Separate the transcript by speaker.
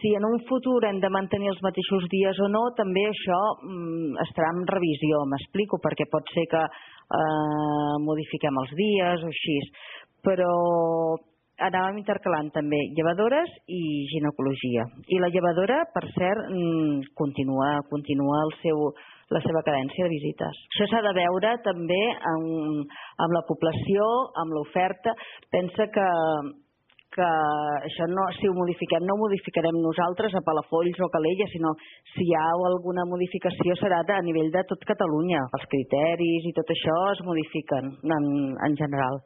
Speaker 1: Si en un futur hem de mantenir els mateixos dies o no, també això estarà en revisió, m'explico, perquè pot ser que modifiquem els dies o així, però anàvem intercalant també llevadores i ginecologia. I la llevadora, per cert, continua la seva cadència de visites. Això s'ha de veure també amb la població, amb l'oferta. Pensa que això no, si ho modifiquem, no ho modificarem nosaltres a Palafolls o Calella, sinó si hi ha alguna modificació serà a nivell de tot Catalunya. Els criteris i tot això es modifiquen en general.